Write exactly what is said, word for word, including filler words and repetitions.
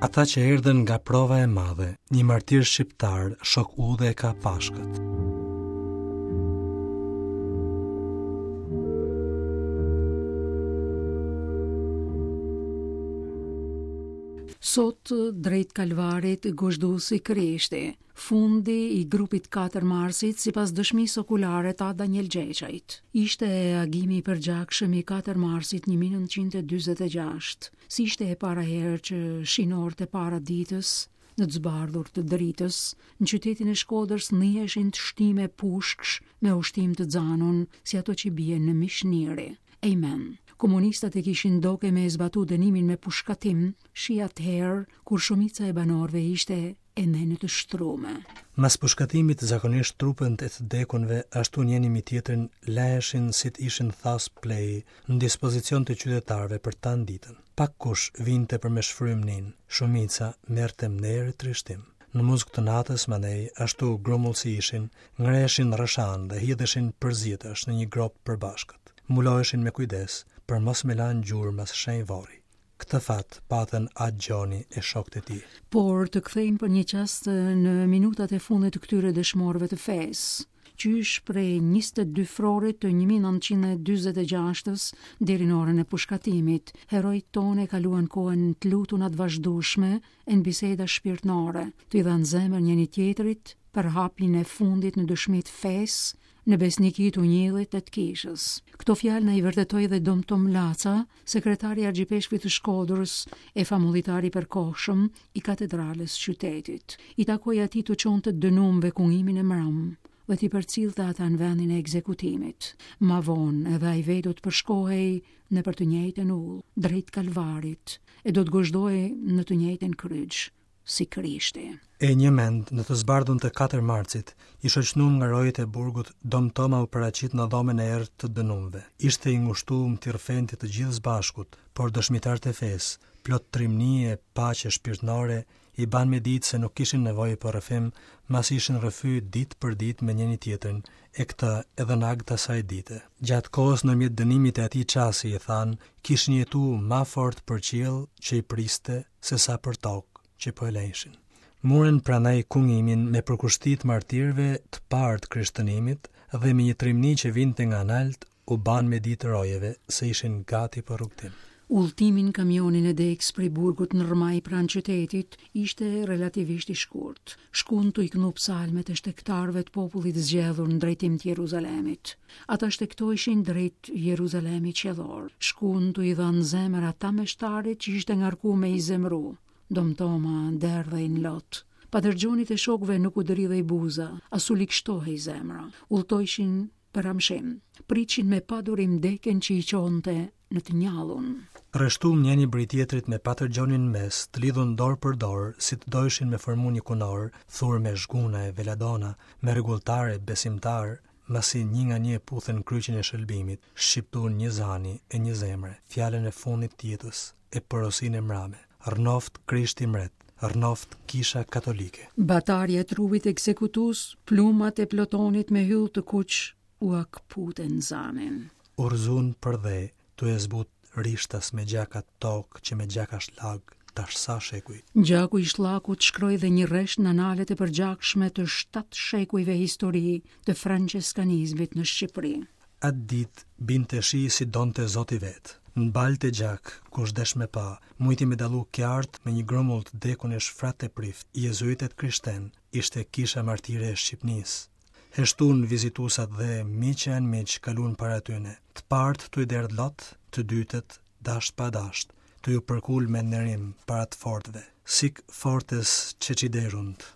Ata që erdhën nga prova e madhe, një martir shqiptar, shok udhe e ka Pashkët. Sot drejt Kalvarit gozhdusi Krishti, fundi i grupit katër Marsit sipas dëshmisë okulare të Daniel Gjeçajt. Ishte agimi i përgjakshëm i katër Marsit një mijë e nëntëqind e dyzet e gjashtë, si ishte e para herë që shinorët e para ditës, në të zbardhur të dritës, në qytetin e Shkodrës niheshin të shtime pushksh me ushtim të xanun, si ato që bien në mishniri. Amen. Komunistat e kishin doke me e zbatu dënimin me pushkatim, shi atëherë kur shumica e banorëve ishte e në të shtrume. Mas pushkatimit zakonisht trupët e të dekunve ashtu njëni mi tjetrin leheshin si të ishin thas plej në dispozicion të qytetarëve për tanë ditën. Pak kush vinte për me shfrymnin, shumica merrte mnerë trishtim. Në muzg të natës mandej, ashtu grumull si ishin, ngreshin rrëshan dhe hidheshin përzjetësh në një gropë përbashkët. Muloheshin me kujdes për mos me lanë gjurmë as shenjë vorri. Këtë fat patën At Gjoni e shokët e tij. Por të kthejmë për një çast në minutat e fundit të këtyre dëshmorëve të fesë, qysh prej njëzet e dy frorit të një mijë e nëntëqind e dyzet e gjashtës deri në orën e pushkatimit, herojt tonë e kaluan kohën të lutunat vazhdueshme e në biseda shpirtnore, të i dhanë zemër njëri tjetrit për hapin e fundit në dëshmi të fesë, në besniki të unjillit e të kishës. Këto fjalë na i vërtetoi dhe Dom Tom Laca, sekretari i Argjipeshkvit të Shkodrës e famullitari i përkohshëm i katedrales qytetit. I takoi atij të çonte dënumve kungimin e mram dhe t'i përcillte ata në vendin e ekzekutimit. Ma vonë edhe ai vetë do të përshkohej në për të njëjtën ullë, drejt Kalvarit, e do të gozhdohej në të njëjtën kryq, si Krishti. E një mend, në të zbardhun të katër marcit, i shoqënuar nga rojet e burgut, Dom Toma u paraqit në dhomën e errët të dënumve. Ishte i ngushtuar t'i rrëfente të gjithë zbashkut, por dëshmitarët e fesë, plot trimni e paqe shpirtnore, i ban me ditë se nuk kishin nevojë për rrëfim, masi ishin rrëfy ditë për ditë me njëri tjetrin, e këtë edhe në ag të asaj dite. Gjatë kohës ndërmjet dënimit e atij çasi i thanë, kishin jetu ma fort për qiell që i priste se sa për tokë që po e lejshin. Murën prandaj kungimin me përkushtit martirëve të parë të krishtënimit dhe me një trimni që vinte nga nalt u ban me ditë rojeve se ishin gati për rrugëtim. Udhëtimi në kamionin e deks prej burgut në Rrmaj pranë qytetit ishte relativisht i shkurt. Shkun tu i knu psalmet e shtegtarëve të popullit zgjedhur në drejtim të Jeruzalemit. Ata shtegtojshin drejt Jeruzalemit qiellor. Shkun tu i dhanë zemër ata meshtarit që ishte ngarku me i zemru. Dom Toma derdhej në lot. Patër Gjonit e shokëve nuk u dridhej buza, as u likshtohej zemra. Udhtojshin për amshim. Priqin me padurim deken që i qonte në të njallun. Rreshtum njëni bri tjetrit me Patër Gjonin në mes, të lidhun dorë për dorë, si të dojshin me formu një kunor, thur me zhguna e veladona, me rregulltare besimtar, masi një nga një puthën kryqin e shëlbimit, shqiptun një zani e një zemre, fjalën e fundit të jetës, e porosinë e mrame. Rrnoft Krishti mret, rrnoft Kisha Katolike. Batarja e trupit ekzekutues, plumat e plotonit me hyll të kuq u akputen zanin. U rrzun për dhe, tu e zbut rishtas me gjaka tokë që me gjaka shlag, tash sa shekuj. Gjaku i shllakut shkroi dhe një rresht në analet e përgjakshme të shtatë shekujve histori të franceskanizmit në Shqipëri. Atë ditë binte shi si donte Zoti vet. Në baltë e gjak, kush desh me pa, mujti me dallu qartë me një grumull të dekun e shfrat e prift, jezuitet krishten, ishte kisha martire e Shqipnisë. Heshtun vizitusat dhe miq e anmiq kalun para tyne. Të partë tu i derdh lot, të dytët dasht pa dasht, tu ju përkul me nderim para të fortëve. Sic fortes ceciderunt.